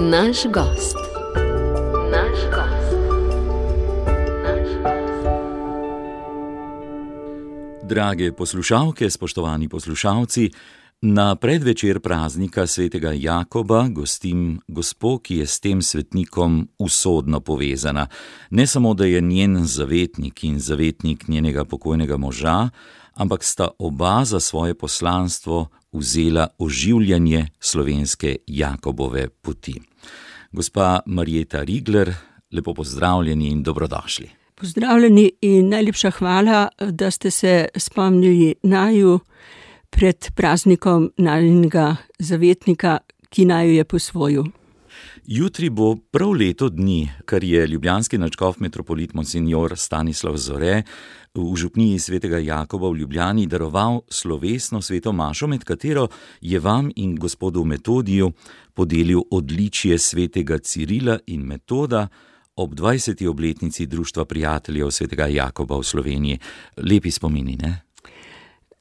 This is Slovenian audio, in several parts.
Naš gost. Drage poslušalke, spoštovani poslušalci, na predvečer praznika svetega Jakoba gostim gospo, ki je s tem svetnikom usodno povezana. Ne samo, da je njen zavetnik in zavetnik njenega pokojnega moža, ampak sta oba za svoje poslanstvo vzela oživljanje slovenske Jakobove poti. Gospa Marjeta Rigler, lepo pozdravljeni in dobrodošli. Pozdravljeni in najlepša hvala, da ste se spomnili naju pred praznikom najinega zavetnika, ki naju je posvojil. Jutri bo prav leto dni, kar je ljubljanski nadškof metropolit monsignor Stanislav Zore v župniji svetega Jakoba v Ljubljani daroval slovesno sveto mašo, med katero je vam in gospodu Metodiju podelil odličje svetega Cirila in Metoda ob 20. obletnici Društva prijateljev svetega Jakoba v Sloveniji. Lepi spomini, ne?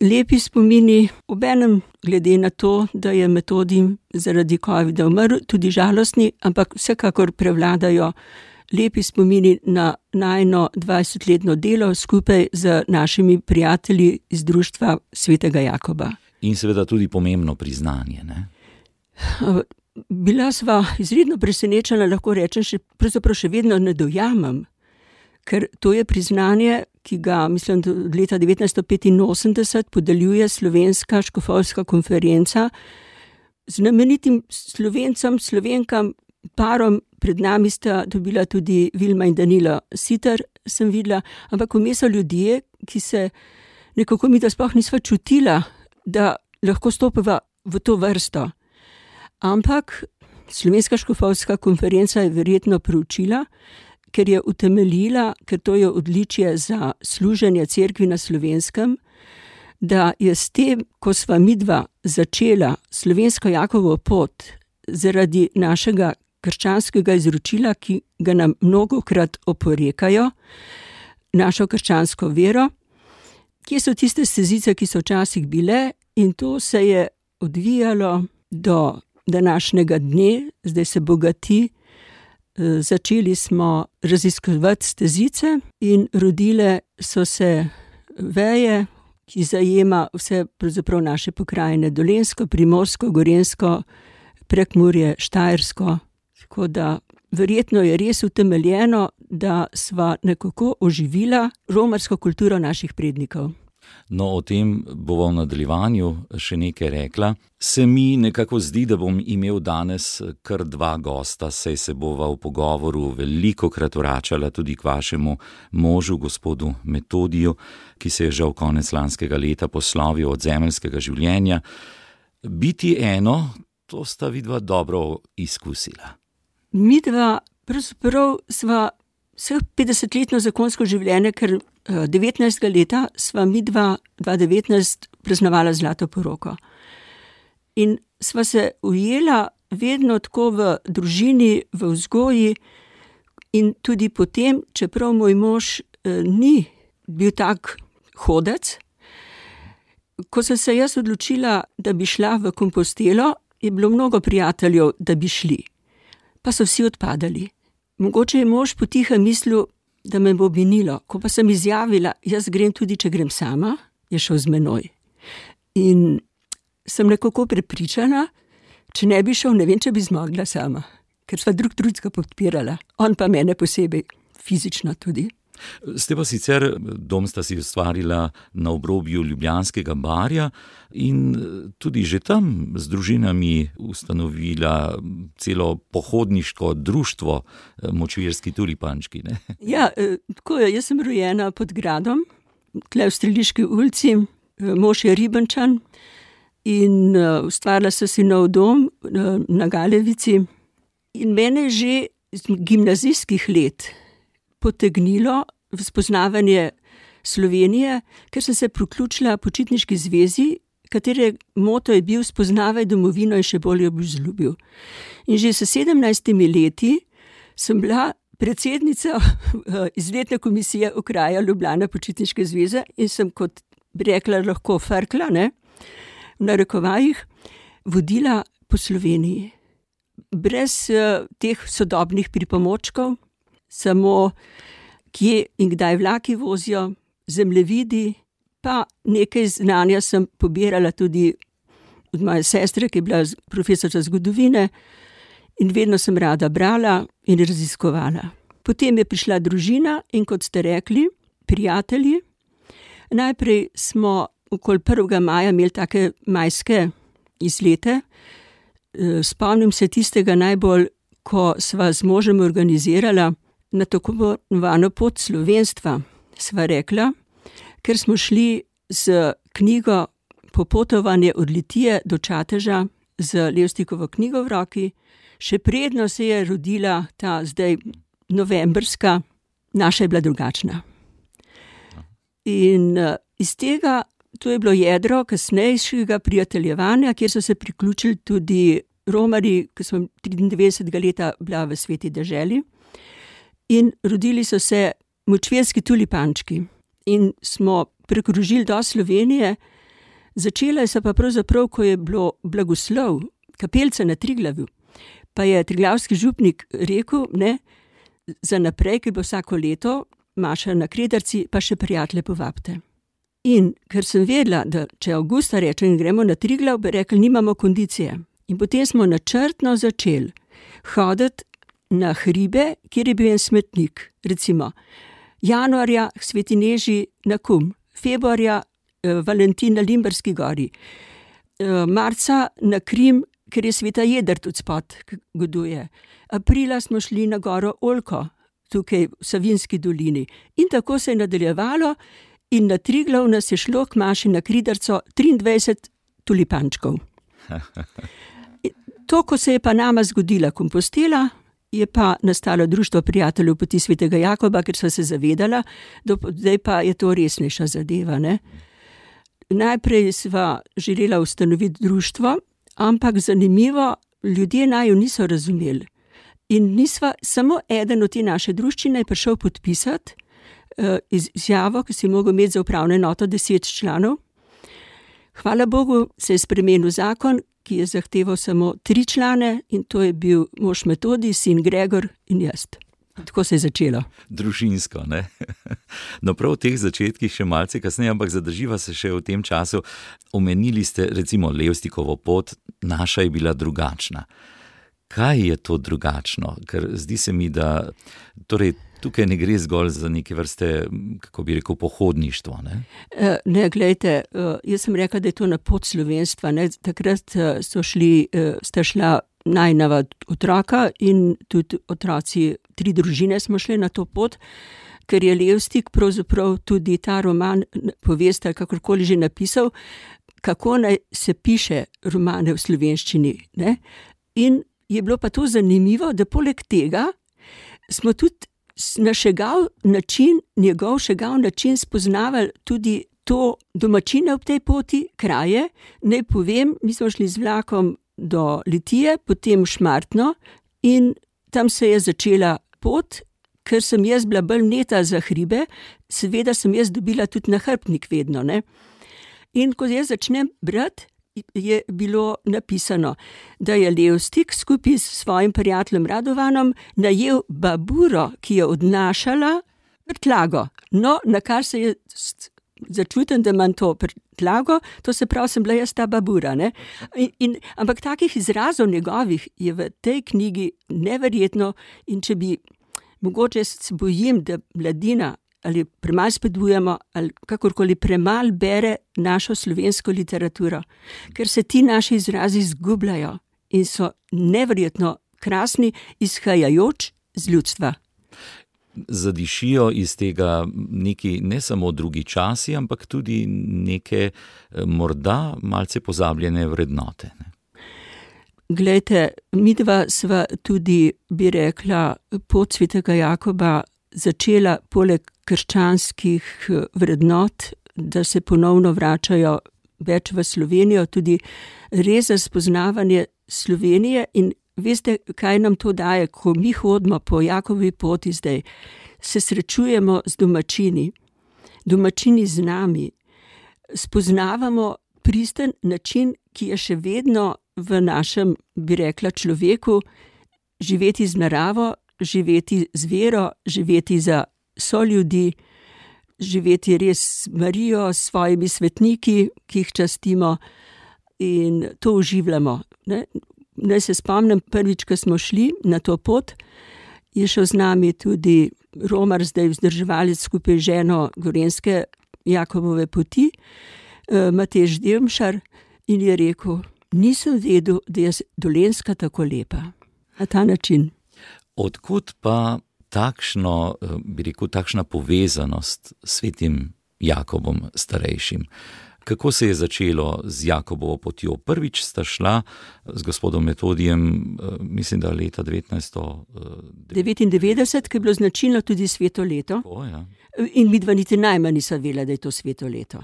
Lepi spomini, obenem glede na to, da je Metodij zaradi covida umrl, tudi žalostni, ampak vsekakor prevladajo lepi spomini na najino 20-letno delo skupaj z našimi prijatelji iz Društva svetega Jakoba. In seveda tudi pomembno priznanje, ne? Bila sva izredno presenečena, lahko rečem, pravzaprav še vedno ne dojamem, ker to je priznanje, ki ga, mislim, od leta 1985 podeljuje Slovenska škofovska konferenca znamenitim Slovencem, Slovenkam, parom. Pred nami sta dobila tudi Vilma in Danilo Siter, sem videla, ampak vmes so ljudje, ki se nekako mi da sploh nisva čutila, da lahko stopiva v to vrsto. Ampak Slovenska škofovska konferenca je verjetno preučila, ker je utemeljila, ker to je odličje za služenje cerkvi na Slovenskem, da je s tem, ko sva midva začela slovensko Jakovo pot zaradi našega krščanskega izročila, ki ga nam mnogokrat oporekajo, našo krščansko vero, kje so tiste stezice, ki so včasih bile, in to se je odvijalo do današnjega dne, zdaj se bogati. Začeli smo raziskovati stezice in rodile so se veje, ki zajema vse pravzaprav naše pokrajine, Dolenjsko, Primorsko, Gorenjsko, Prekmurje, Štajersko. Tako da verjetno je res utemeljeno, da sva nekako oživila romarsko kulturo naših prednikov. No, o tem bova v nadaljevanju še nekaj rekla. Se mi nekako zdi, da bom imel danes kar dva gosta, saj se bova v pogovoru velikokrat vračala tudi k vašemu možu, gospodu Metodiju, ki se je žal konec lanskega leta poslovil od zemeljskega življenja. Biti eno, to sta vidva dobro izkusila. Midva pravzaprav sva vseh 50-letno zakonsko življenje, ker 19. leta sva midva 2019 praznovala zlato poroko. In sva se ujela vedno tako v družini, v vzgoji in tudi potem, čeprav moj mož ni bil tak hodec, ko sem se jaz odločila, da bi šla v Kompostelo, je bilo mnogo prijateljev, da bi šli. Pa so vsi odpadali. Mogoče je mož potihem mislil, da me bo minilo. Ko pa sem izjavila, jaz grem tudi, če grem sama, je šel z menoj. In sem nekako prepričana, če ne bi šel, ne vem, če bi zmogla sama. Ker sva drugega podpirala. On pa mene posebej, fizično tudi. Ste pa sicer, dom sta si ustvarila na obrobju Ljubljanskega barja in tudi že tam z družinami ustanovila celo pohodniško društvo Močvirski tulipančki, ne? Ja, tako je, jaz sem rojena pod gradom, tle v Streliški ulici, mož je Ribenčan in ustvarila so si nov dom na Galevici. In mene že iz gimnazijskih let potegnilo v spoznavanje Slovenije, ker sem se priključila Počitniški zvezi, katere moto je bil spoznavaj domovino in še bolj jo boš vzljubil. In že s 17 leti sem bila predsednica izletne komisije okraja Ljubljana Počitniške zveze in sem, kot bi rekla, lahko farkla, ne, v narekovajih, vodila po Sloveniji. brez teh sodobnih pripomočkov, samo kje in kdaj vlaki vozijo, zemljevidi, pa nekaj znanja sem pobirala tudi od moje sestre, ki je bila profesorica zgodovine, in vedno sem rada brala in raziskovala. Potem je prišla družina in, kot ste rekli, prijatelji. Najprej smo okoli 1. maja imeli take majske izlete. Spomnim se tistega najbolj, ko sva z možem organizirala na tako imenovano pot slovenstva, sva rekla, ker smo šli z knjigo Popotovanje od Litije do Čateža z Levstikovo knjigo v roki. Še predno se je rodila ta zdaj novembrska, naša je bila drugačna. In iz tega, to je bilo jedro kasnejšega prijateljevanja, kjer so se priključili tudi romarji, ki smo 93. leta bila v Sveti deželi. In rodili so se močvirski tulipančki. In smo prekrožili do Slovenije. Začela se pa pravzaprav, ko je bilo blagoslov, kapelca na Triglavu. Pa je triglavski župnik rekel, ne, za naprej, ki bo vsako leto, maša na Krederci, pa še prijatelje povabite. In ker sem vedela, da če avgusta rečem in gremo na Triglav, bi rekli, nimamo kondicije. In potem smo načrtno začeli hoditi na hribe, kjer je bil en smetnik. Recimo januarja Sveti Neži na Kum, februarja Valentin na Limberski gori, marca na Krim, ker je Sveta Jedrt odspod goduje. Aprila smo šli na goro Oljko, tukaj v Savinjski dolini. In tako se je nadaljevalo in na Triglav nas je šlo k maši na Kridarco 23 tulipančkov. To, ko se je pa nama zgodila Kompostela, je pa nastalo Društvo prijateljev poti svetega Jakoba, ker so se zavedala, da zdaj pa je to resnejša zadeva, ne. Najprej sva želela ustanoviti društvo, ampak zanimivo, ljudje naju niso razumeli. In nisva, samo eden od te naše druščine je prišel podpisati izjavo, ki si mogel imeti za upravno enoto 10 članov. Hvala Bogu se je spremenil zakon, ki je zahteval samo 3 člane, in to je bil mož Metodij, sin Gregor in jaz. Tako se je začelo. Družinsko, ne? No, prav v teh začetkih še malce kasneje, ampak zadrživa se še v tem času. Omenili ste recimo Levstikovo pot, naša je bila drugačna. Kaj je to drugačno? Ker zdi se mi, da torej tukaj ne gre zgolj za neke vrste, kako bi rekel, pohodništvo, ne? Ne, glejte, jaz sem rekla, da je to na pot slovenstva, ne. Takrat sta šla najnova otroka in tudi otroci, 3 družine smo šli na to pot, ker je Levstik pravzaprav tudi ta roman, povest, ali kakorkoli že napisal, kako naj se piše romane v slovenščini, ne. In je bilo pa to zanimivo, da poleg tega smo tudi na njegov šegav način spoznavali tudi to domačine ob tej poti, kraje. Naj povem, mi smo šli z vlakom do Litije, potem v Šmartno in tam se je začela pot, ker sem jaz bila bolj neta za hribe, seveda sem jaz dobila tudi nahrbtnik vedno, ne. In ko jaz začnem brati, je bilo napisano, da je Levstik skupaj s svojim prijateljem Radovanom najel baburo, ki je odnašala prtljago. No, na kar se je začutim, da imam to prtljago, to se pravi, sem bila jaz ta babura, ne. Ampak takih izrazov njegovih je v tej knjigi neverjetno, in če bi, mogoče se bojim, da mladina ali premalo spodbujamo, ali kakorkoli premalo bere našo slovensko literaturo, ker se ti naši izrazi izgubljajo in so neverjetno krasni, izhajajoč z ljudstva. Zadišijo iz tega neki ne samo drugi časi, ampak tudi neke morda malce pozabljene vrednote, ne? Glejte, midva sva tudi, bi rekla, pot svetega Jakoba začela poleg krščanskih vrednot, da se ponovno vračajo več v Slovenijo, tudi res za spoznavanje Slovenije. In veste, kaj nam to daje, ko mi hodimo po Jakobovi poti zdaj, se srečujemo z domačini z nami, spoznavamo pristen način, ki je še vedno v našem, bi rekla, človeku, živeti z naravo, živeti z vero, živeti za soljudi, živeti res s Marijo, s svojimi svetniki, ki jih častimo in to uživamo. Naj se spomnim, prvič, ko smo šli na to pot, je šel z nami tudi romar, zdaj vzdrževalec skupaj z ženo Gorenjske Jakobove poti, Matej Demšar, in je rekel, nisem vedel, da je Dolenjska tako lepa. Na ta način. Odkud pa takšna povezanost s svetim Jakobom starejšim? Kako se je začelo z Jakobovo potjo? Prvič sta šla z gospodom Metodijem, mislim, da leta 1999, ki je bilo značilno tudi sveto leto. Ja. In midva niti najmanj nisva vedela, da je to sveto leto.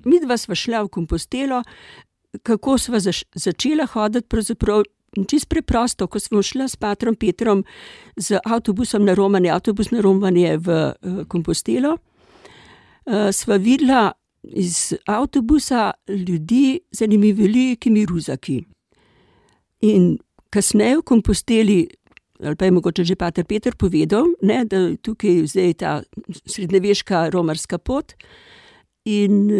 Midva sva šla v Kompostelo, kako sva začela hoditi, pravzaprav čisto preprosto, ko smo šla s patrom Petrom z avtobusom na romanje, avtobus na romanje v Kompostelo, sva videla iz avtobusa ljudi z enimi velikimi ruzaki. In kasneje v Komposteli, ali pa je mogoče že pater Peter povedal, da tukaj zdaj ta srednjeveška romarska pot, in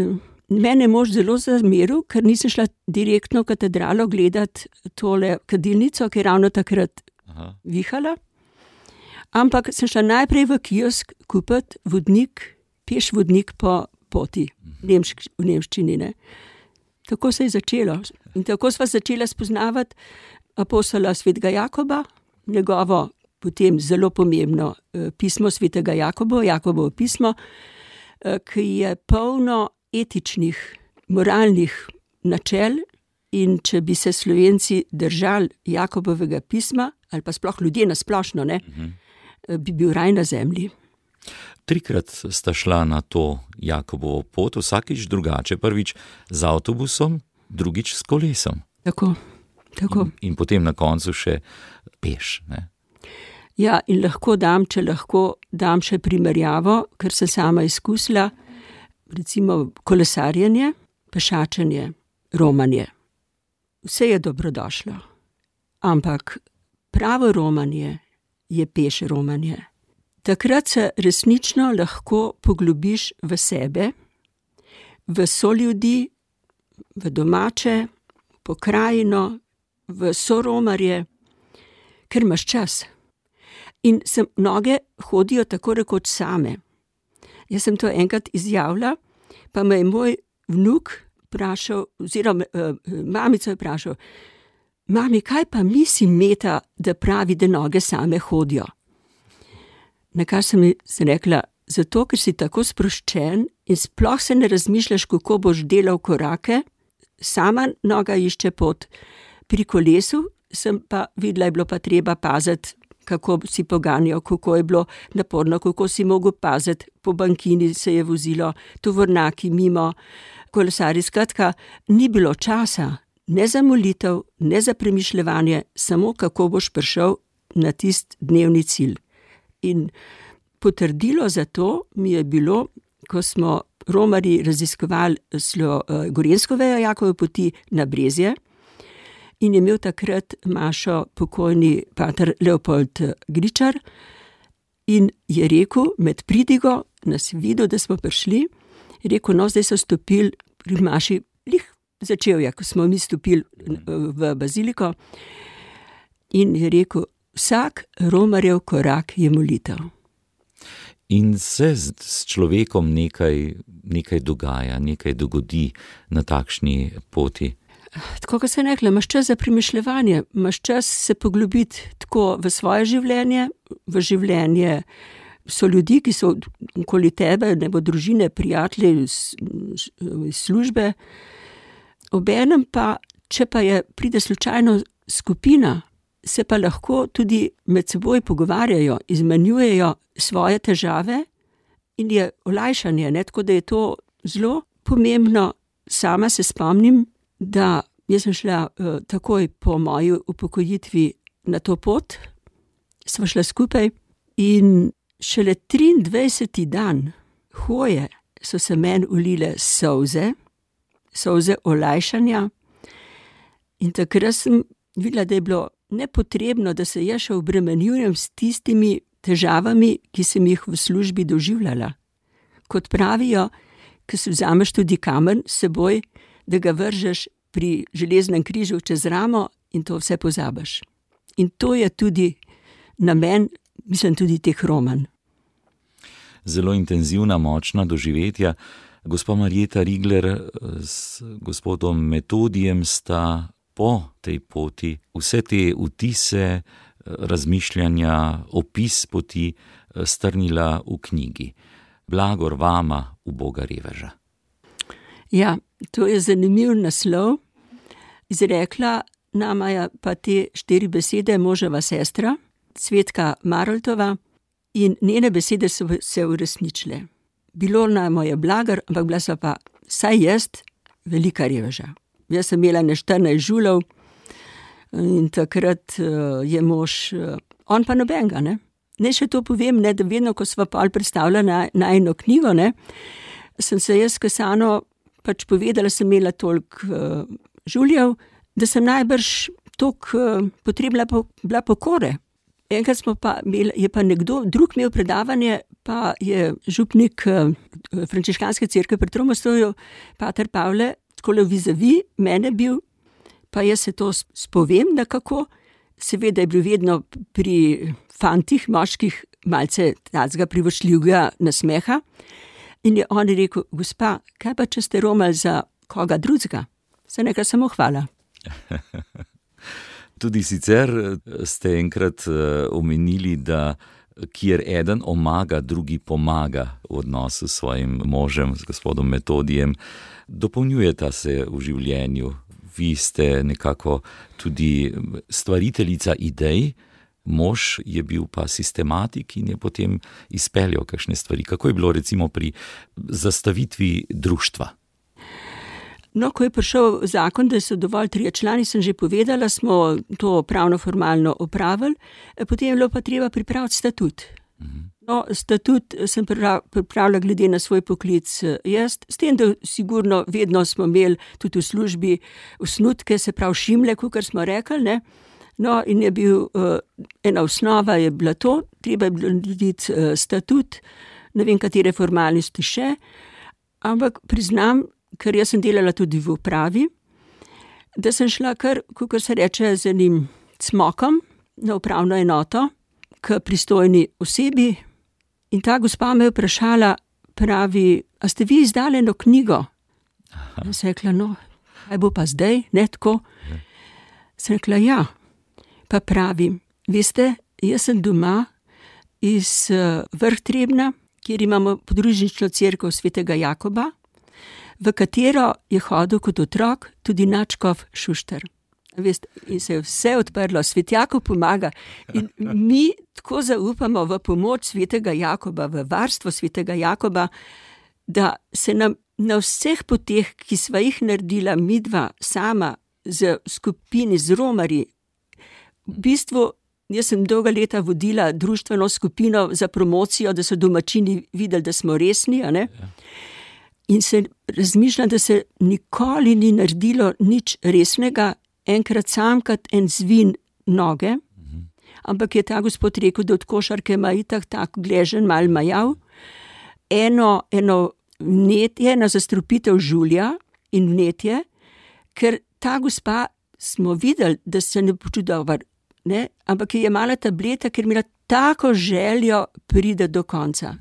mene je mož zelo zameril, ker nisem šla direktno v katedralo gledati tole kadilnico, ki je ravno takrat vihala, ampak sem šla najprej v kiosk kupiti vodnik, peš vodnik po poti v nemščini. Tako se je začelo. In tako sva začela spoznavati apostola svetega Jakoba, njegovo potem zelo pomembno pismo svetega Jakoba, Jakobovo pismo, ki je polno etičnih, moralnih načel, in če bi se Slovenci držali Jakobovega pisma, ali pa sploh ljudje na splošno, bi bil raj na zemlji. 3krat sta šla na to Jakobovo pot, vsakič drugače, prvič z avtobusom, drugič s kolesom. Tako. In potem na koncu še peš. Ja, in če lahko dam še primerjavo, ker sem sama izkusila, recimo kolesarjenje, pešačenje, romanje. Vse je dobrodošlo, ampak pravo romanje je peš romanje. Takrat se resnično lahko poglobiš v sebe, v soljudi, v domače, pokrajino, v soromarje, ker imaš čas. In mnoge hodijo tako rekoč same. Jaz sem to enkrat izjavila, pa me je moj vnuk vprašal, oziroma mamico je vprašal, mami, kaj pa misli Meta, da pravi, da noge same hodijo? Na kar sem rekla, zato, ker si tako sproščen in sploh se ne razmišljaš, kako boš delal korake, sama noga išče pot. Pri kolesu sem pa videla, je bilo pa treba paziti, kako si poganjal, kako je bilo naporno, kako si mogel paziti, po bankini se je vozilo, tovornjaki mimo, kolesarji. Skratka, ni bilo časa, ne za molitev, ne za premišljevanje, samo kako boš prišel na tisti dnevni cilj. In potrdilo za to mi je bilo, ko smo romarji raziskovali Gorenjsko vejo Jakobove poti na Brezje, in je imel takrat mašo pokojni pater Leopold Gričar, in je rekel, med pridigo nas videl, da smo prišli, je rekel, no, zdaj so stopili pri maši, začel je, ko smo mi stopili v baziliko, in je rekel, vsak romarjev korak je molitev. In se s človekom nekaj dogaja, nekaj dogodi na takšni poti. Tako, kot sem rekla, imaš čas za premišljevanje, imaš čas se poglobiti tako v svoje življenje, v življenje so ljudi, ki so okoli tebe, nebo družine, prijatelji iz službe. Obenem pa, če pa pride slučajno skupina, se pa lahko tudi med seboj pogovarjajo, izmenjujejo svoje težave in je olajšanje, tako da je to zelo pomembno. Sama se spomnim, da jaz sem šla takoj po moji upokojitvi na to pot, sva šla skupaj in šele 23. dan hoje so se meni ulile solze olajšanja, In takrat sem videla, da je bilo nepotrebno, da se jaz še obremenjujem s tistimi težavami, ki sem jih v službi doživljala. Kot pravijo, ko si vzameš tudi kamen s seboj, da ga vržeš pri železnem križu čez ramo in to vse pozabiš. In to je tudi namen, mislim, tudi teh romanj. Zelo intenzivna, močna doživetja. Gospa Marjeta Rigler s gospodom Metodijem sta po tej poti vse te vtise, razmišljanja, opis poti strnila v knjigi. Blagor vama, uboga reveža. Ja, to je zanimiv naslov. Izrekla nama je pa te 4 besede moževa sestra, Cvetka Maroltova, in njene besede so se uresničile. Bilo nama je blagar, ampak bila so pa, saj jaz, velika reveža. Jaz sem imela ne 14 žulov in takrat je mož, on pa nobenega, ne. Ne še to povem, ne, da vedno, ko sva pol predstavila na eno knjigo, ne, sem se jaz Kesano pač povedala, sem imela toliko žuljev, da sem najbrž toliko potrebna bila pokore. Enkrat smo pa imeli, je pa nekdo drug imel predavanje, pa je župnik frančiškanske cerkve pri Tromostovju, pater Pavle, takole vizavi mene bil, pa jaz se to spovem nekako, seveda je bil vedno pri fantih, moških, malce tacga privoščljivega nasmeha. In je on rekel, gospa, kaj pa če ste romali za koga drugega? Se nekaj samo hvala. Tudi sicer ste enkrat omenili, da kjer eden omaga, drugi pomaga v odnosu s svojim možem, s gospodom Metodijem. Dopolnjujeta se v življenju. Vi ste nekako tudi stvariteljica idej, mož je bil pa sistematik in je potem izpeljal kakšne stvari. Kako je bilo recimo pri zastavitvi društva? No, ko je prišel zakon, da so dovolj 3 člani, sem že povedala, smo to pravno-formalno opravili, potem je bilo pa treba pripraviti statut. No, statut sem pripravila glede na svoj poklic jaz, s tem, da sigurno vedno smo imeli tudi v službi osnutke, se pravi šimle, kakor smo rekli, ne. No, in je bil, ena osnova je bila to, treba je bilo narediti statut, ne vem, katere formalnosti še, ampak priznam, ker jaz sem delala tudi v upravi, da sem šla kar, kakor se reče, z enim cmokom na upravno enoto, k pristojni osebi, in ta gospa me je vprašala, pravi, a ste vi izdali eno knjigo? Jaz sem rekla, no, kaj bo pa zdaj, ne tako? Sem rekla, ja. Pa pravi, veste, jaz sem doma iz Vrh Trebna, kjer imamo podružnično cerkev svetega Jakoba, v katero je hodil kot otrok tudi nadškof Šušter. Veste, in se je vse odprlo, svet Jakob pomaga in mi tako zaupamo v pomoč svetega Jakoba, v varstvo svetega Jakoba, da se nam na vseh poteh, ki sva jih naredila midva sama z skupini, z romarji, v bistvu, jaz sem dolga leta vodila društveno skupino za promocijo, da so domačini videli, da smo resni, a ne? In se razmišljam, da se nikoli ni naredilo nič resnega, enkrat samkrat en zvin noge, ampak je ta gospod rekel, da od košarke ima itak tak gležen mal majav, eno vnetje, ena zastrupitev žulja in vnetje, ker ta gospa smo videli, da se ne počuti dober, ne, ampak je jemala tableta, ker imela tako željo pride do konca.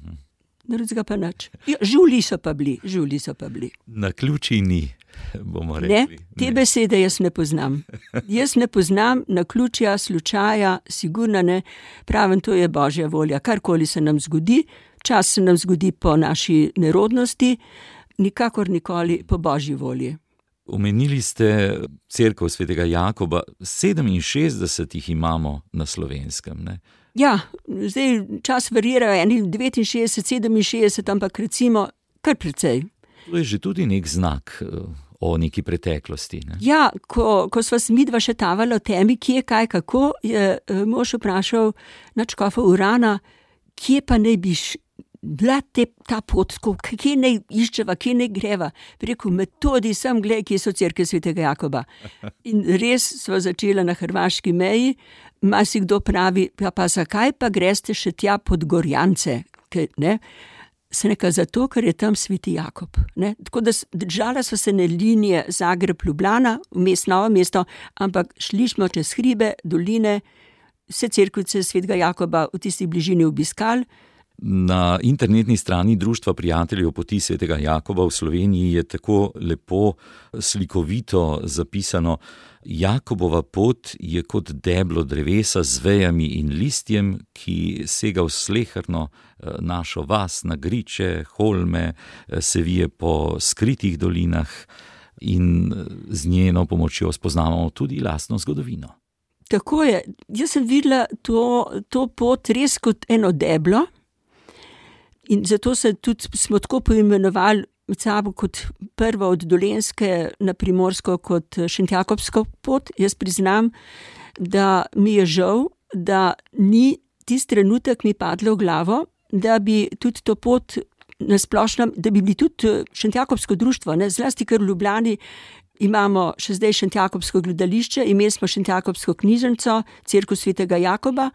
Drugega pa nič. Ja, žulji so pa bili. Naključij ni, bomo rekli. Ne, te besede jaz ne poznam. Jaz ne poznam naključja, slučaja, sigurno ne. Pravim, to je Božja volja. Karkoli se nam zgodi, čas se nam zgodi po naši nerodnosti, nikakor nikoli po Božji volji. Omenili ste cerkev svetega Jakoba, 67 jih imamo na Slovenskem, ne? Ja, zdaj čas varirajo, eni 69, 67, ampak recimo kar precej. To je že tudi nek znak o neki preteklosti, ne? Ja, ko sva se midva še tavala o temi, kje, kaj, kako, je mož vprašal nadškofa Urana, kje pa naj bi bila ta pot, kje naj iščeva, kje naj greva. Rekel, Metodi, sem gled, kje so cerkev svetega Jakoba. In res sva začela na hrvaški meji, marsikdo pravi, pa zakaj pa greste še tja pod Gorjance, ne? Se neka zato, ker je tam sveti Jakob, ne? Tako da držala sva se ne linije Zagreb-Ljubljana, vmes Novo mesto, ampak šli smo čez hribe, doline, vse cerkvice svetega Jakoba v tisti bližini obiskali. Na internetni strani Društva prijateljev poti svetega Jakoba v Sloveniji je tako lepo slikovito zapisano: Jakobova pot je kot deblo drevesa z vejami in listjem, ki sega v sleherno našo vas, na griče, holme, se vije po skritih dolinah in z njeno pomočjo spoznavamo tudi lastno zgodovino. Tako je. Jaz sem videla to pot res kot eno deblo in zato smo tako poimenovali med sabo kot prvo od Dolenjske na Primorsko kot Šentjakobsko pot. Jaz priznam, da mi je žal, da ni tisti trenutek mi padlo v glavo, da bi tudi to pot na splošnem, da bi bili tudi Šentjakobsko društvo, ne, zlasti ker v Ljubljani imamo še zdaj Šentjakobsko gledališče, imeli smo Šentjakobsko knjižnico, cerkev svetega Jakoba,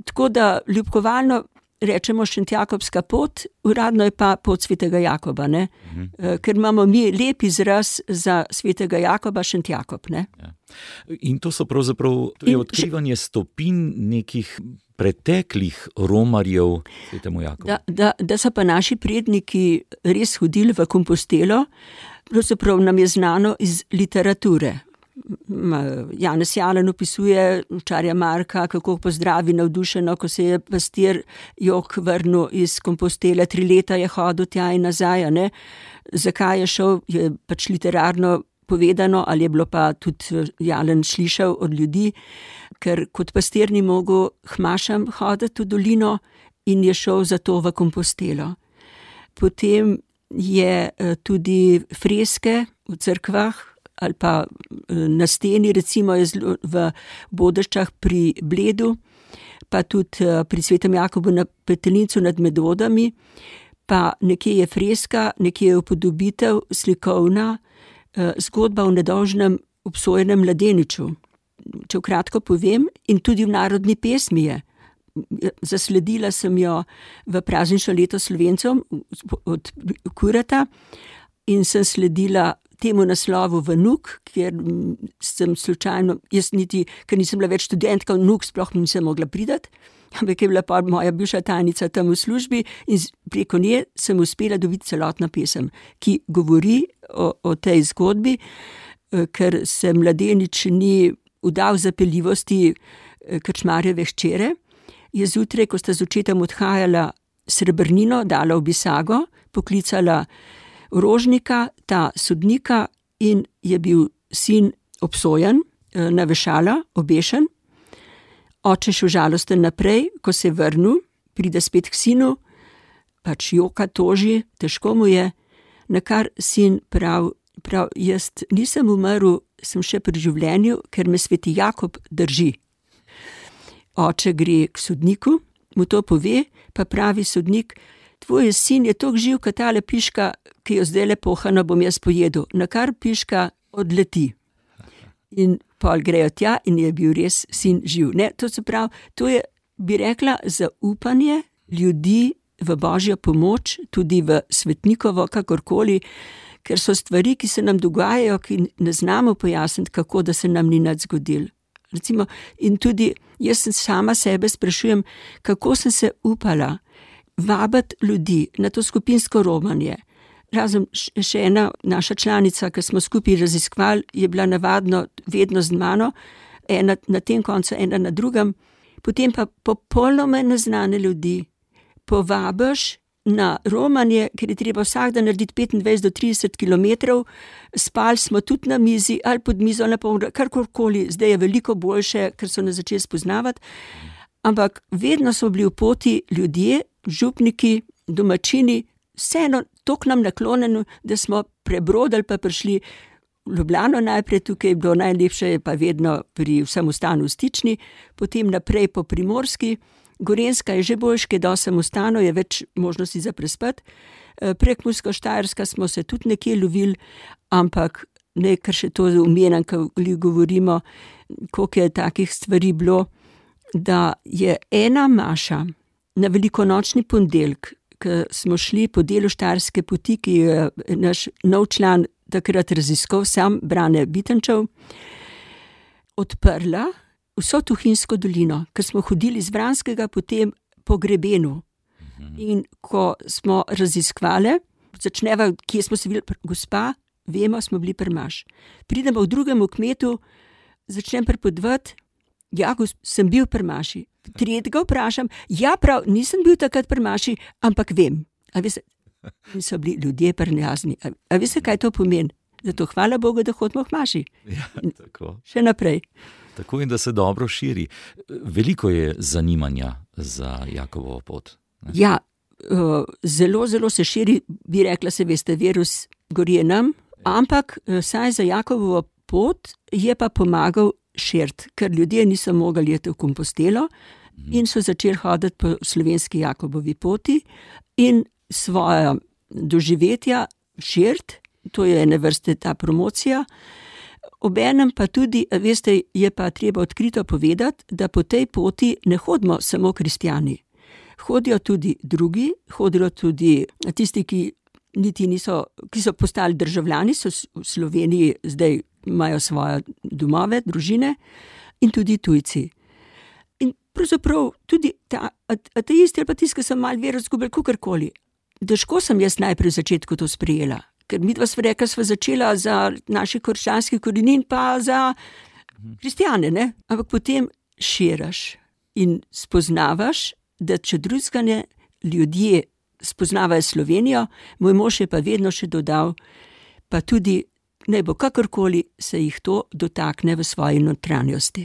tako da ljubkovalno rečemo Šentjakobska pot, uradno je pa pot svetega Jakoba, ne? Ker imamo mi lep izraz za svetega Jakoba, Šentjakob, ne? Ja. In to so pravzaprav, to je odkrivanje stopinj nekih preteklih romarjev svetemu Jakobu. Da so pa naši predniki res hodili v Kompostelo, pravzaprav nam je znano iz literature. Janez Jalen opisuje Čarja Marka, kako pozdravi navdušeno, ko se je pastir Jok vrnil iz Kompostele, 3 leta je hodil tja in nazaj, ne. Zakaj je šel, je pač literarno povedano, ali je bilo pa tudi Jalen slišal od ljudi, ker kot pastir ni mogel hmašam hoditi v dolino in je šel zato v Kompostelo. Potem je tudi freske v cerkvah ali pa na steni, recimo je v Bodeščah pri Bledu, pa tudi pri svetem Jakobu na Petelincu nad Medvodami, pa nekje je freska, nekje je upodobitev slikovna, zgodba o nedolžnem obsojenem mladeniču. Če kratko povem, in tudi v narodni pesmi je. Zasledila sem jo v praznično leto Slovencem od Kurata in sem sledila temu naslovu v Nuk, kjer sem slučajno, jaz niti, ker nisem bila več študentka, v Nuk sploh nisem mogla priti, ampak je bila pa moja bivša tajnica tam v službi in preko nje sem uspela dobiti celotno pesem, ki govori o tej zgodbi, ker se mladenič ni vdal zapeljivosti krčmarjeve hčere, je zjutraj, ko sta z očetom odhajala srebrnino, dala v bisago, poklicala rožnika, ta sodnika, in je bil sin obsojen na vešala, obešen. Oče šel žalosten naprej, ko se je vrnil, pride spet k sinu, pač joka, toži, težko mu je, nakar sin prav, jaz nisem umrl, sem še pri življenju, ker me sveti Jakob drži. Oče gre k sodniku, mu to pove, pa pravi sodnik: tvoj sin je toliko živ, kot tale piška, ki jo zdaj pohano bom jaz pojedel, nakar piška odleti. In pol grejo tja in je bil res sin živ. Ne, to se pravi, to je, bi rekla, zaupanje ljudi v Božjo pomoč, tudi v svetnikovo, kakorkoli, ker so stvari, ki se nam dogajajo, ki ne znamo pojasniti, kako da se nam ni nič zgodilo. Recimo, in tudi jaz sama sebe sprašujem, kako sem se upala vabiti ljudi na to skupinsko romanje. Razen še ena naša članica, ki smo skupaj raziskovali, je bila navadno vedno z mano, ena na tem koncu, ena na drugem. Potem pa popolnoma neznane ljudi povabiš na romanje, ker je treba vsak dan narediti 25 do 30 kilometrov, spali smo tudi na mizi ali pod mizo, karkoli, zdaj je veliko boljše, ker so nas začeli spoznavati, ampak vedno so bili v poti ljudje, župniki, domačini, vseeno toliko nam naklonjeno, da smo prebrodili pa prišli v Ljubljano najprej, tukaj je bilo najlepše, je pa vedno pri vsem ostanu v Stični, potem naprej po Primorski, Gorenjska je že boljš, ker dosti samostano, je več možnosti za prespati. Prekmursko-štajerska smo se tudi nekje lovili, ampak ne, kar še to omenjam, ko govorimo, koliko je takih stvari bilo, da je ena maša na velikonočni ponedeljek, ko smo šli po delu Štajerske poti, ki je naš nov član takrat raziskal, sam Brane Bitenčev, odprla vso Tuhinjsko dolino, ker smo hodili z Vranskega potem po grebenu. In ko smo raziskovali, začneva, kje smo se videli, gospa, vemo, smo bili pri Maš. Pridemo v drugem kmetu, začnem pripovedovati, ja, sem bil pri Maši. Tretjega vprašam, ja, prav, nisem bil takrat pri Maši, ampak vem. A veste, so bili ljudje prijazni. A veste, kaj to pomeni? Zato hvala Bogu, da hodimo k Maši. Ja, tako. Še naprej. Tako in da se dobro širi. Veliko je zanimanja za Jakobovo pot. Ne? Ja, zelo, zelo se širi, bi rekla, se veste, virus gori nam, ampak saj za Jakobovo pot je pa pomagal širiti, ker ljudje niso mogli jeti v Kompostelo in so začeli hoditi po slovenski Jakobovi poti in svoja doživetja širiti, to je ene vrste ta promocija. Obenem pa tudi, veste, je pa treba odkrito povedati, da po tej poti ne hodimo samo kristjani. Hodijo tudi drugi, hodijo tudi tisti, ki niti niso, ki so postali državljani, so v Sloveniji zdaj imajo svoje domove, družine in tudi tujci. In pravzaprav tudi ateisti ali pa tisti, ki so malo vero izgubili, kakorkoli. Težko sem jaz najprej v začetku to sprejela, ker midva sva rekla, sva začela za naših krščanskih korenin pa za kristjane, ne? Ampak potem širaš in spoznavaš, da če drugega ne, ljudje spoznavajo Slovenijo, moj mož je pa vedno še dodal, pa tudi naj bo kakorkoli se jih to dotakne v svoji notranjosti.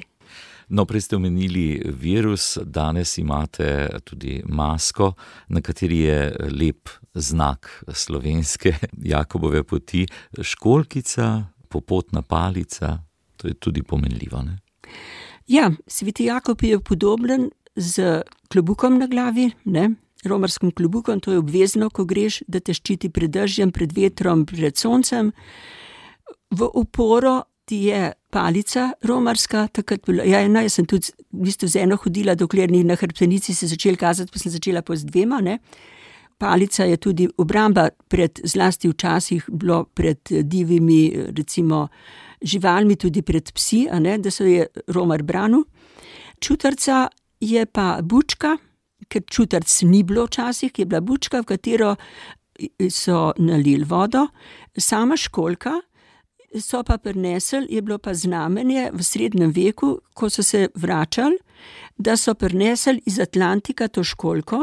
No, prej ste omenili virus, danes imate tudi masko, na kateri je lep znak slovenske Jakobove poti, školjkica, popotna palica, to je tudi pomenljivo, ne? Ja, sveti Jakob je podoben z klobukom na glavi, ne? Romarskim klobukom, to je obvezno, ko greš, da te ščiti pred dežjem, pred vetrom, pred soncem. V oporo ti je palica romarska, takrat bila, jaz sem tudi v bistvu z eno hodila, dokler ni na hrbtenici se začel kazati, pa sem začela pa z dvema, ne. Palica je tudi obramba pred, zlasti včasih bilo pred divjimi, recimo, živalmi, tudi pred psi, a ne, da se je romar branil. Čutarca je pa bučka, ker čutarc ni bilo včasih, je bila bučka, v katero so nalili vodo, sama školjka, so pa prinesli, je bilo pa znamenje v srednjem veku, ko so se vračali, da so prinesli iz Atlantika to školjko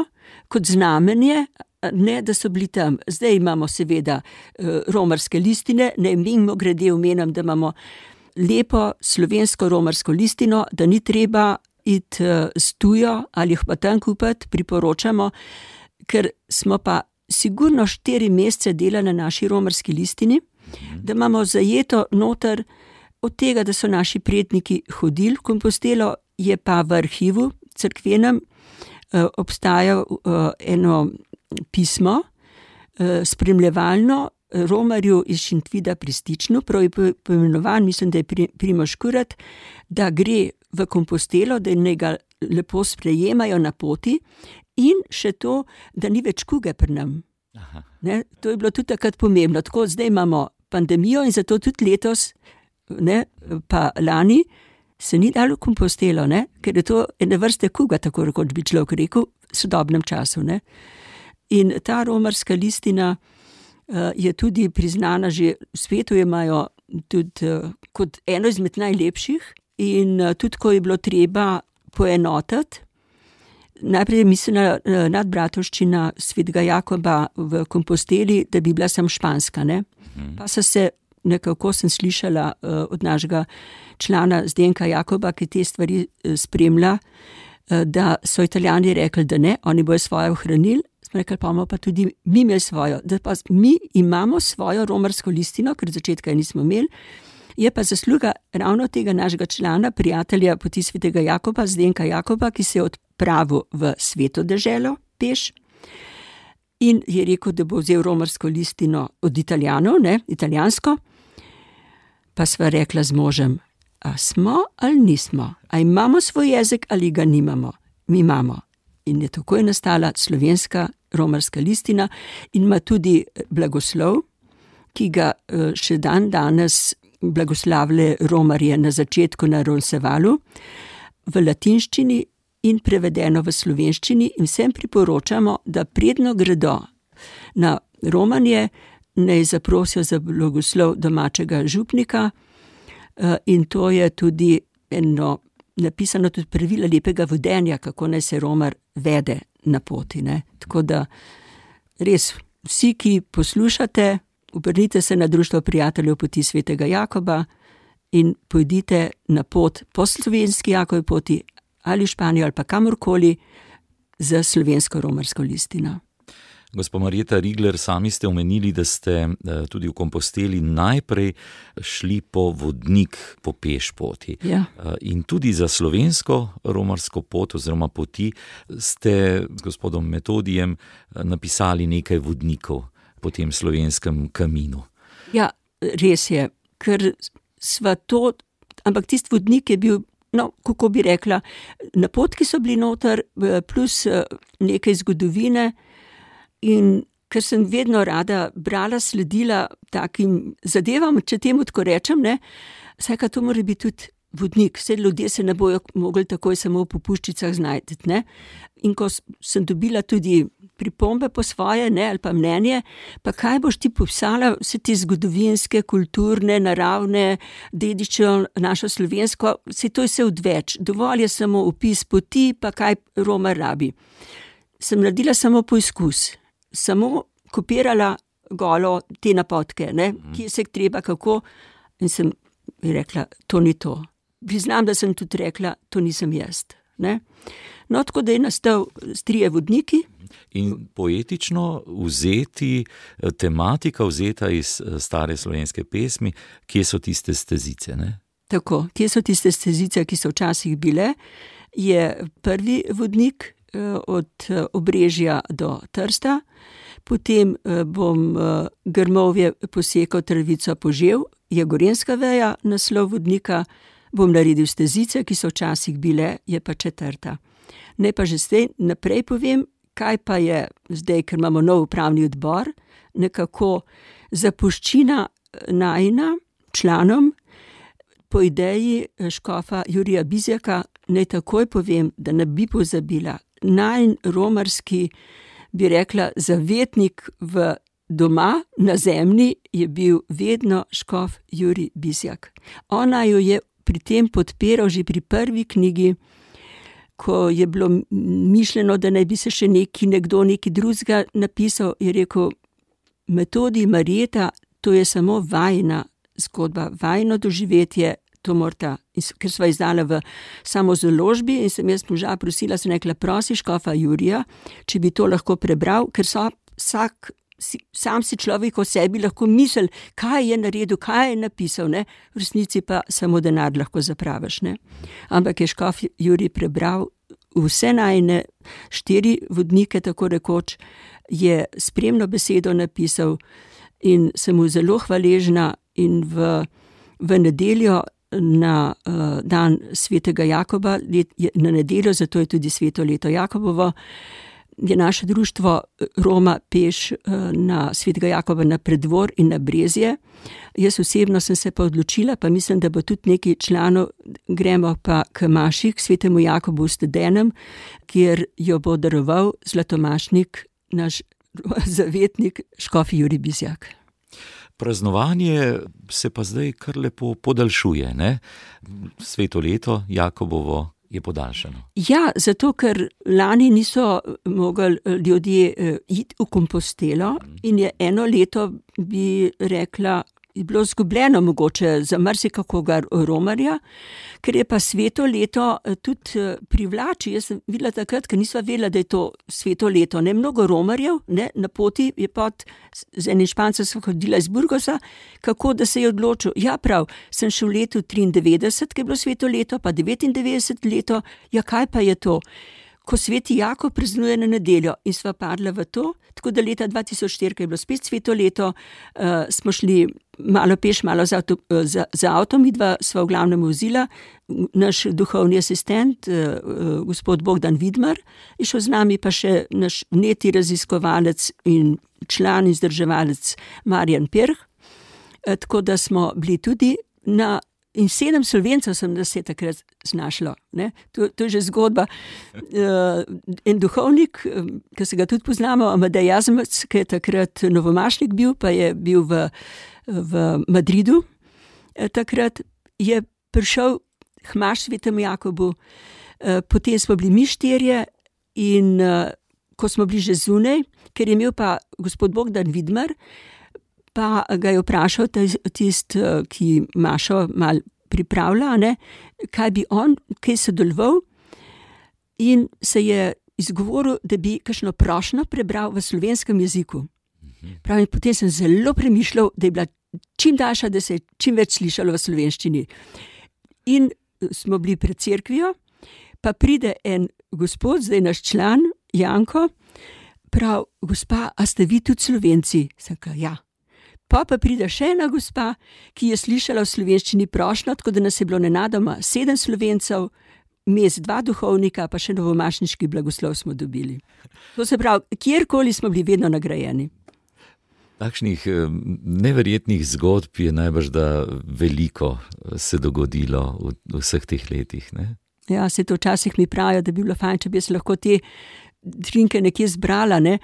kot znamenje, ne da so bili tam. Zdaj imamo seveda romarske listine, ne mimogrede omenjam, da imamo lepo slovensko romarsko listino, da ni treba iti s tujo ali jih pa tam kupiti, priporočamo, ker smo pa sigurno 4 mesece delali na naši romarski listini, da imamo zajeto noter od tega, da so naši predniki hodili v Kompostelo, je pa v arhivu cerkvenem obstajalo eno pismo spremljevalno romarju iz Šentvida pri Stičnu, prav je poimenovan, mislim, da je Primož Kurat, da gre v Kompostelo, da naj ga lepo sprejemajo na poti in še to, da ni več kuge pri nam. Ne, to je bilo tudi takrat pomembno. Tako zdaj imamo pandemijo in zato tudi letos, ne, pa lani, se ni dalo v Kompostelo, ne, ker je to ene vrste kuga, tako rekoč bi človek rekel, v sodobnem času. Ne. In ta romarska listina je tudi priznana že v svetu, jo imajo tudi kot eno izmed najlepših in tudi, ko je bilo treba poenotiti, najprej je mislila nadbratovščina svetega Jakoba v Komposteli, da bi bila sam španska, ne. Pa so se, nekako sem slišala od našega člana Zdenka Jakoba, ki te stvari spremlja, da so Italijani rekli, da ne, oni bojo svoje ohranili, smo rekli, pa imamo pa tudi mi imeli svojo, da pa mi imamo svojo romarsko listino, ker od začetka je nismo imeli, je pa zasluga ravno tega našega člana, prijatelja poti svetega Jakoba, Zdenka Jakoba, ki se je odpravil v Sveto deželo peš in je rekel, da bo vzel romarsko listino od Italijanov, italijansko. Pa sva rekla z možem, a smo ali nismo, a imamo svoj jezik ali ga nimamo. Mi imamo. In je takoj nastala slovenska romarska listina in ima tudi blagoslov, ki ga še dan danes blagoslavljajo romarje na začetku na Ronsevalu, v latinščini in prevedeno v slovenščini, in vsem priporočamo, da predno gredo na romanje, naj zaprosijo za blagoslov domačega župnika, in to je tudi eno napisano tudi pravila lepega vedenja, kako naj se romar vede na poti. Tako da res vsi, ki poslušate, obrnite se na Društvo prijateljev poti svetega Jakoba in pojdite na pot po slovenski Jakovi poti ali v Španijo ali pa kamorkoli za slovensko romarsko listino. Gospa Marjeta Rigler, sami ste omenili, da ste tudi v Komposteli najprej šli po vodnik po peš poti. Ja. In tudi za slovensko romarsko pot oziroma poti ste z gospodom Metodijem napisali nekaj vodnikov po tem slovenskem kaminu. Ja, res je, ker sva to, ampak tisti vodnik je bil, kako bi rekla, napotki so bili noter, plus nekaj zgodovine. In ker sem vedno rada brala, sledila takim zadevam, če temu tako rečem, vsaka to mora biti tudi vodnik, vse ljudje se ne bojo mogli takoj samo v popuščicah znajti. In ko sem dobila tudi pripombe po svoje, ali pa mnenje, pa kaj boš ti popisala vse te zgodovinske, kulturne, naravne, dediščino našo slovensko, to je vse odveč, dovolj je samo opis poti, pa kaj Romar rabi. Sem naredila samo poizkus. Samo kopirala golo te napotke, kje se treba, kako, in sem rekla, to ni to. Priznam, da sem tudi rekla, to nisem jaz. Tako da je nastal trije vodniki. In poetično vzeti, tematika vzeta iz stare slovenske pesmi, kje so tiste stezice, Tako, kje so tiste stezice, ki so včasih bile, je prvi vodnik, od Obrežja do Trsta, potem bom grmovje posekal, travico požel, je gorenjska veja, naslov vodnika, bom naredil stezice, ki so včasih bile, je pa četrta. Ne pa že zdaj naprej povem, kaj pa je zdaj, ker imamo nov upravni odbor, nekako zapuščina najina članom, po ideji škofa Jurija Bizjaka, naj takoj povem, da ne bi pozabila, najin romarski, bi rekla, zavetnik v doma na zemlji je bil vedno škof Jurij Bizjak. Ona jo je pri tem podpiral že pri prvi knjigi, ko je bilo mišljeno, da naj bi se še nekdo drugega napisal, je rekel, Metodij, Marjeta, to je samo vajina zgodba, vajino doživetje, to morata, ker sva izdala v samozaložbi in sem jaz moža prosila, sem rekla, prosi škofa Jurija, če bi to lahko prebral, ker sam si človek o sebi lahko misli, kaj je naredil, kaj je napisal, v resnici pa samo denar lahko zapraviš. Ampak je škof Jurij prebral vse najine 4 vodnike, tako rekoč, je spremno besedo napisal in sem mu zelo hvaležna in v nedeljo na dan svetega Jakoba, na nedeljo, zato je tudi sveto leto Jakobovo, je naše društvo Roma peš na svetega Jakoba na Preddvor in na Brezje. Jaz osebno sem se pa odločila, pa mislim, da bo tudi nekaj članov, gremo pa k maši, k svetemu Jakobu v Stedenem, kjer jo bo daroval zlatomašnik, naš zavetnik, škof Jurij Bizjak. Praznovanje se pa zdaj kar lepo podaljšuje, Sveto leto Jakobovo je podaljšano. Ja, zato ker lani niso mogli ljudje iti v Kompostelo in je eno leto, bi rekla, je bilo zgubljeno mogoče za marsikakoga romarja, ker je pa sveto leto tudi privlači. Jaz sem videla takrat, ker nisva vedela, da je to sveto leto. Mnogo romarjev, na poti je z enim Špancem sva hodila iz Burgosa, kako da se je odločil. Ja, prav, sem šel v letu 93, ki je bilo sveto leto, pa 99 leto, ja, kaj pa je to? ko sveti Jakob praznuje na nedeljo in sva padla v to, tako da leta 2004, ko je bilo spet sveto leto, smo šli malo peš, malo za avtom, midva sva v glavnem vozila, naš duhovni asistent, gospod Bogdan Vidmar, je šel z nami, pa še naš vneti raziskovalec in član in vzdrževalec Marjan Pirh, tako da smo bili tudi in 7 Slovencev sem nas je takrat znašlo. Ne? To je že zgodba. En duhovnik, ki se ga tudi poznamo, Amadej Jazmec, ki je takrat novomašnik bil, pa je bil v Madridu. Takrat je prišel hmaš svetemu Jakobu, potem smo bili mi 4 in ko smo bili že zunaj, ker je imel pa gospod Bogdan Vidmar, pa ga je vprašal tisti, ki Mašo mal pripravlja, ne, kaj bi on kaj sodeloval, in se je izgovoril, da bi kakšno prošnjo prebral v slovenskem jeziku. Pravi, potem sem zelo premišljal, da je bila čim daljša, da se je čim več slišalo v slovenščini. In smo bili pred cerkvijo, pa pride en gospod, zdaj naš član, Janko, prav, gospa, a ste vi tudi Slovenci? Sem rekla, ja. Pa pride še ena gospa, ki je slišala v slovenščini prošnjo, tako da nas je bilo nenadoma 7 Slovencev, mes 2 duhovnika, pa še novomašniški blagoslov smo dobili. To se pravi, kjerkoli smo bili vedno nagrajeni. Takšnih neverjetnih zgodb je najbrž, da veliko se dogodilo v vseh teh letih, ne? Ja, se to včasih mi pravijo, da bi bilo fajn, če bi se lahko te drinke nekje zbrala, ne?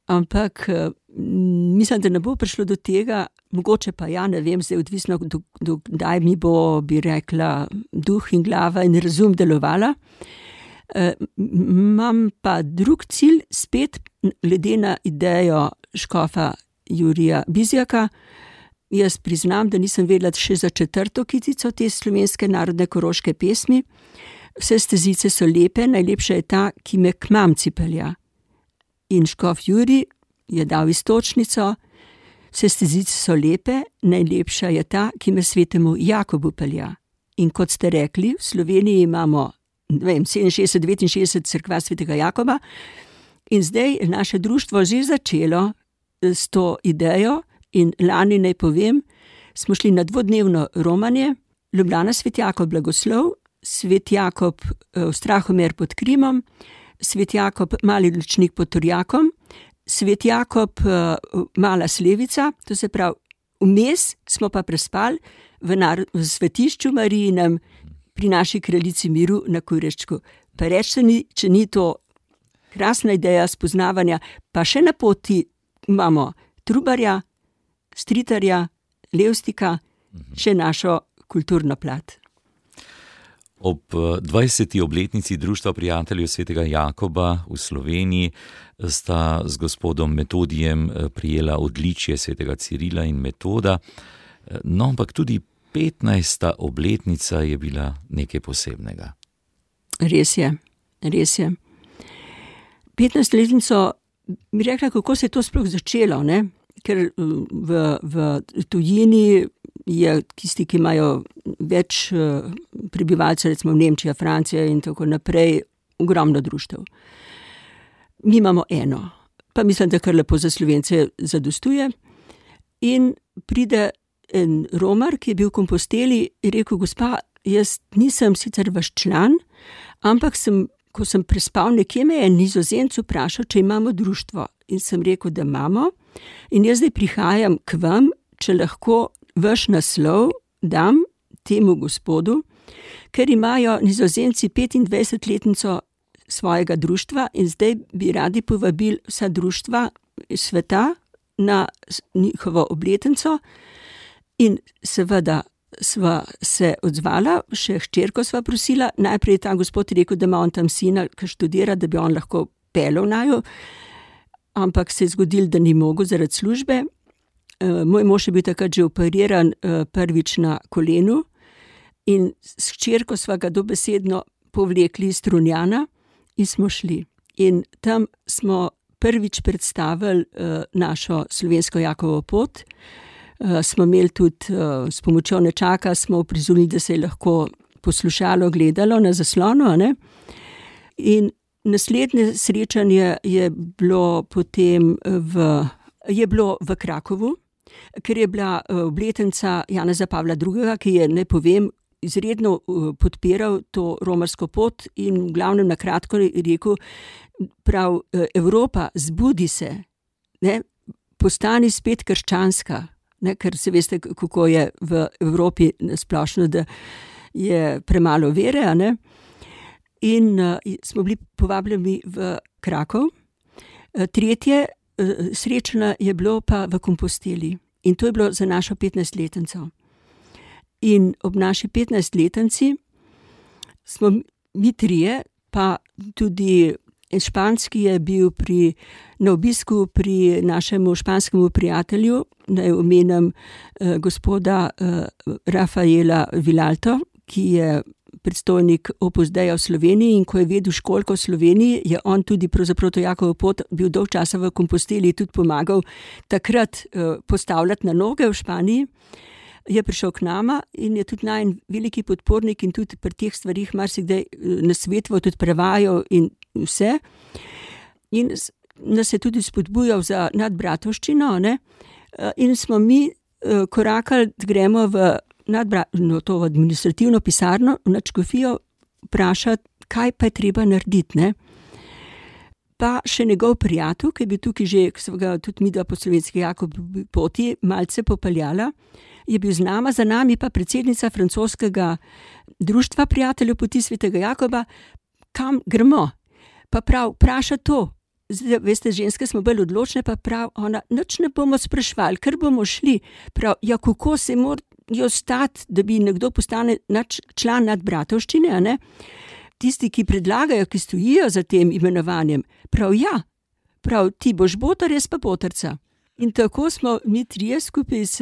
Ampak mislim, da ne bo prišlo do tega, mogoče pa ja, ne vem, zdaj odvisno, kdaj mi bo, bi rekla, duh in glava in razum delovala. Imam pa drug cilj, spet glede na idejo škofa Jurija Bizjaka. Jaz priznam, da nisem vedela še za 4. kitico te slovenske narodne koroške pesmi. Vse stezice so lepe, najlepša je ta, ki me k mamci pelja. In škof Jurij je dal iztočnico, vse stezice so lepe, najlepša je ta, ki me svetemu Jakobu pelja. In kot ste rekli, v Sloveniji imamo 67-69 cerkva svetega Jakoba in zdaj je naše društvo že začelo s to idejo in lani, naj povem, smo šli na 2-dnevno romanje, Ljubljana svet Jakob blagoslov, svet Jakob Strahomer pod Krimom, svet Jakob Mali Lučnik pod Turjakom, svet Jakob Mala Slevica, to se pravi, vmes smo pa prespali v svetišču Marijinem pri naši kraljici miru na Kureščku. Pa reč se če ni to krasna ideja spoznavanja, pa še na poti imamo Trubarja, Stritarja, Levstika, še našo kulturno plat. Ob 20. obletnici Društva prijateljev svetega Jakoba v Sloveniji sta z gospodom Metodijem prijela odličje svetega Cirila in Metoda, no, ampak tudi 15. obletnica je bila nekaj posebnega. Res je. 15. letnico mi rekla, kako se je to sploh začelo, ne? Ker v tujini je tisti, ki imajo več prebivalcev, recimo Nemčija, Francija in tako naprej, ogromno društev. Mi imamo eno, pa mislim, da kar lepo za Slovence zadostuje. In pride en Romar, ki je bil v Komposteli, in rekel, gospa, jaz nisem sicer vaš član, ampak ko sem prespal, nekje me je Nizozemec vprašal, če imamo društvo. In sem rekel, da imamo. In jaz zdaj prihajam k vam, če lahko vaš naslov dam temu gospodu, ker imajo Nizozemci 25-letnico svojega društva in zdaj bi radi povabili vsa društva sveta na njihovo obletnico. In seveda sva se odzvala, še hčerko sva prosila, najprej je ta gospod rekel, da ima on tam sina, ki študira, da bi on lahko pelel naju, ampak se je zgodilo, da ni mogel zaradi službe. Moj mož je bil takrat že operiran prvič na kolenu in s hčerko sva ga dobesedno povlekli iz Strunjana in smo šli. In tam smo prvič predstavili našo slovensko Jakovo pot. Smo imeli tudi s pomočjo nečaka, smo uprizorili, da se je lahko poslušalo, gledalo na zaslonu, ne? In naslednje srečanje je bilo potem v Krakovu, ker je bila obletnica Janeza Pavla II., ki je, naj povem, izredno podpiral to romarsko pot in v glavnem na kratko rekel, prav Evropa, zbudi se, ne, postani spet krščanska, ne, ker se veste, kako je v Evropi splošno, da je premalo vere, a ne. In smo bili povabljeni v Krakov. Tretje srečanje je bilo pa v Komposteli in to je bilo za našo 15-letnico. In ob naši 15-letnici smo mi trije, pa tudi španski je bil na obisku pri našemu španskemu prijatelju, naj omenim gospoda Rafaela Vilalto, ki je predstojnik Opus Deia v Sloveniji, in ko je vedel školjko v Sloveniji, je on tudi pravzaprav to Jakovo pot bil dolg časa v Komposteli, tudi pomagal takrat postavljati na noge v Španiji. Je prišel k nama in je tudi najen veliki podpornik in tudi pri teh stvarih marsikdaj nasvetoval, tudi prevajal in vse. In nas je tudi spodbujal za nadbratovščino, ne? In smo mi korakali, da gremo v to administrativno pisarno, v nadškofijo, vprašati, kaj pa je treba narediti, ne. Pa še njegov prijatelj, ki je bil tukaj že, ki so ga tudi midva po slovenski Jakobovi poti malce popeljala, je bil z nama, za nami pa predsednica francoskega društva prijateljev poti svetega Jakoba, kam gremo. Pa prav, vpraša to. Zdaj, veste, ženske smo bolj odločne, pa prav, ona, nič ne bomo sprašvali, ker bomo šli. Prav, ja, kako se morajo stati, da bi nekdo postane član nadbratovščine, a ne? Tisti, ki predlagajo, ki stojijo za tem imenovanjem, prav ja, prav, ti boš botar, jaz pa botarca. In tako smo mi trije skupaj s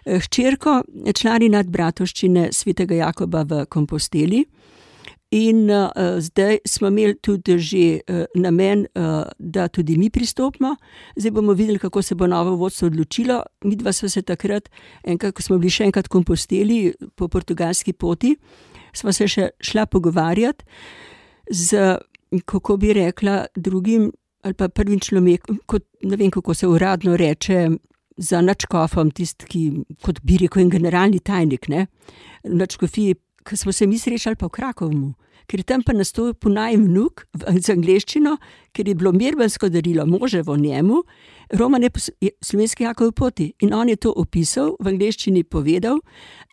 hčerko člani nadbratovščine svetega Jakoba v Komposteli. In zdaj smo imeli tudi že namen, da tudi mi pristopimo. Zdaj bomo videli, kako se bo novo vodstvo odločilo. Midva sva se takrat, enkrat, ko smo bili še enkrat v Komposteli po portugalski poti, sva se še šla pogovarjati z, kako bi rekla, drugim ali pa prvim človekom, kot ne vem, kako se uradno reče, za nadškofom, tisti, ki, kot bi rekel, en generalni tajnik, ne, v nadškofiji, ko smo se mi srečali pa v Krakovmu, ker je tam pa nastopil naj vnuk z angleščino, ker je bilo mirbansko darilo moževo njemu, roman je slovenski Jakovi poti in on je to opisal, v angleščini povedal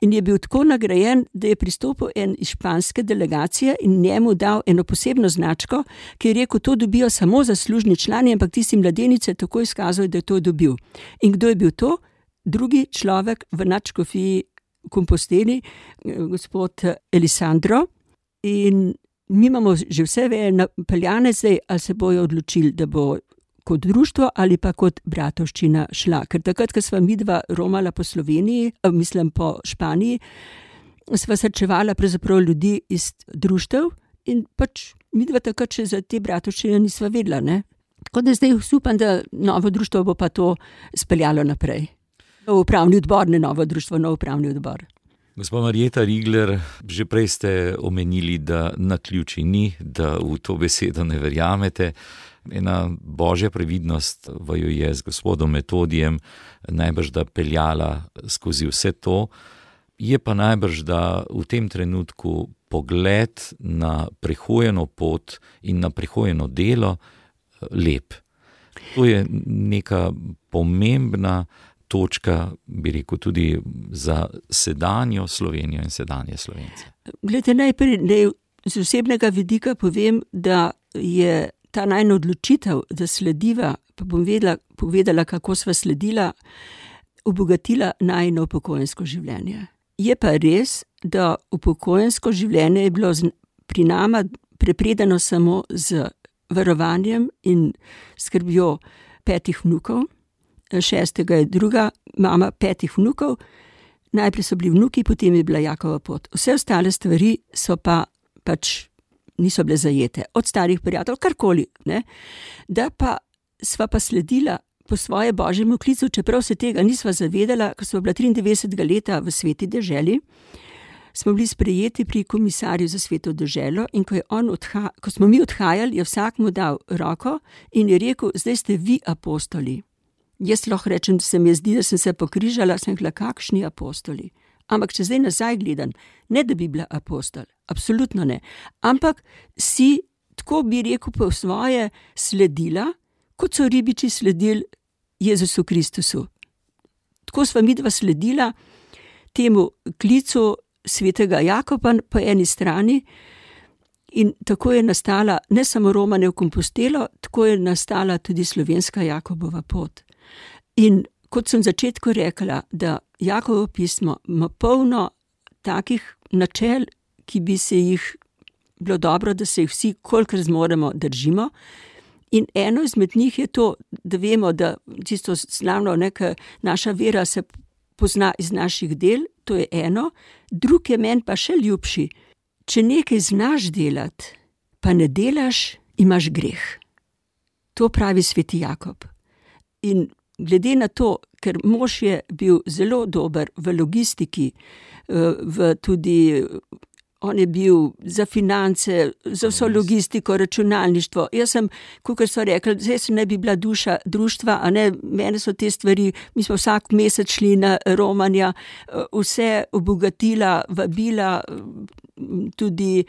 in je bil tako nagrajen, da je pristopil en iz španske delegacije in njemu dal eno posebno značko, ki je rekel, to dobijo samo zaslužni člani, ampak tisti mladenice tako izkazal, da je to dobil. In kdo je bil to? Drugi človek v nadškofiji Komposteli, gospod Elisandro. In mi imamo že vse napeljane zdaj, ali se bojo odločili, da bo kot društvo ali pa kot bratovščina šla. Ker takrat, ko sva midva romala po Sloveniji, mislim po Španiji, sva srečevala pravzaprav ljudi iz društev in pač midva takrat še za te bratovščine nisva vedela, ne. Tako da zdaj upam, da novo društvo bo pa to speljalo naprej. Nov upravni odbor, ne novo društvo, nov upravni odbor. Gospa Marjeta Rigler, že prej ste omenili, da naključij ni, da v to besedo ne verjamete. Ena božja previdnost vaju je z gospodom Metodijem najbrž da peljala skozi vse to. Je pa najbrž da v tem trenutku pogled na prehojeno pot in na prehojeno delo lep. To je neka pomembna točka, bi rekel, tudi za sedanjo Slovenijo in sedanje Slovence. Glede, najprej z osebnega vidika povem, da je ta najna odločitev, da slediva, pa bom povedala, kako sva sledila, obogatila najno upokojensko življenje. Je pa res, da upokojensko življenje je bilo pri nama prepredeno samo z varovanjem in skrbjo 5 vnukov. 6. je druga mama 5 vnukov. Najprej so bili vnuki, potem je bila Jakova pot. Vse ostale stvari so pa pač niso bile zajete. Od starih prijateljev, karkoli, ne. Da pa sva pa sledila po svoje božjemu klicu, čeprav se tega nisva zavedala, ko sva bila 93. leta v sveti deželi, smo bili sprejeti pri komisarju za Sveto deželo in ko smo mi odhajali, je vsak mu dal roko in je rekel, zdaj ste vi apostoli. Jaz lahko rečem, da se mi zdi, da sem se pokrižala, sem rekla, kakšni apostoli. Ampak če zdaj nazaj gledam, ne da bi bila apostol, absolutno ne, ampak si, tako bi rekel, po svoje sledila, kot so ribiči sledili Jezusu Kristusu. Tako sva midva sledila temu klicu svetega Jakoba po eni strani in tako je nastala ne samo romanje v Kompostelo, tako je nastala tudi slovenska Jakobova pot. In kot sem v začetku rekla, da Jakobovo pismo ima polno takih načel, ki bi se jih bilo dobro, da se jih vsi, kolikor zmoremo, držimo. In eno izmed njih je to, da vemo, da čisto slavno, ker naša vera se pozna iz naših del, to je eno. Drug je meni pa še ljubši. Če nekaj znaš delati, pa ne delaš, imaš greh. To pravi sveti Jakob. In glede na to, ker mož je bil zelo dober v logistiki, on je bil za finance, za vso logistiko, računalništvo. Jaz sem, kakor so rekli, zdaj se ne bi bila duša društva, a ne, mene so te stvari, mi smo vsak mesec šli na romanja, vse obogatila, vabila, tudi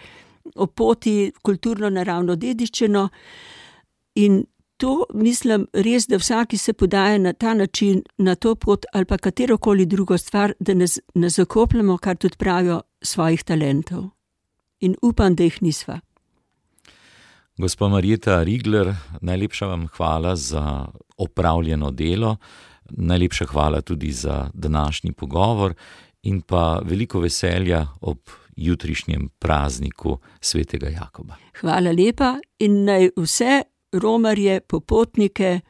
o poti, kulturno naravno dediščino. In to mislim res, da vsaki se podaja na ta način, na to pot ali pa katerokoli drugo stvar, da ne zakopljamo, kar tudi pravijo, svojih talentov. In upam, da jih nisva. Gospa Marjeta Rigler, najlepša vam hvala za opravljeno delo, najlepša hvala tudi za današnji pogovor in pa veliko veselja ob jutrišnjem prazniku svetega Jakoba. Hvala lepa in naj vse romarje, popotnike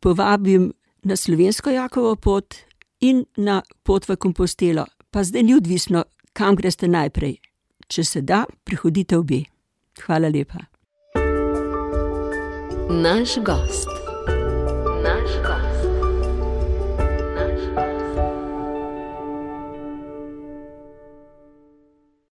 povabim na slovensko Jakovo pot in na pot v Kompostelo. Pa zdaj ni odvisno, kam greste najprej. Če se da, prihodite obe. Hvala lepa. Naš gost.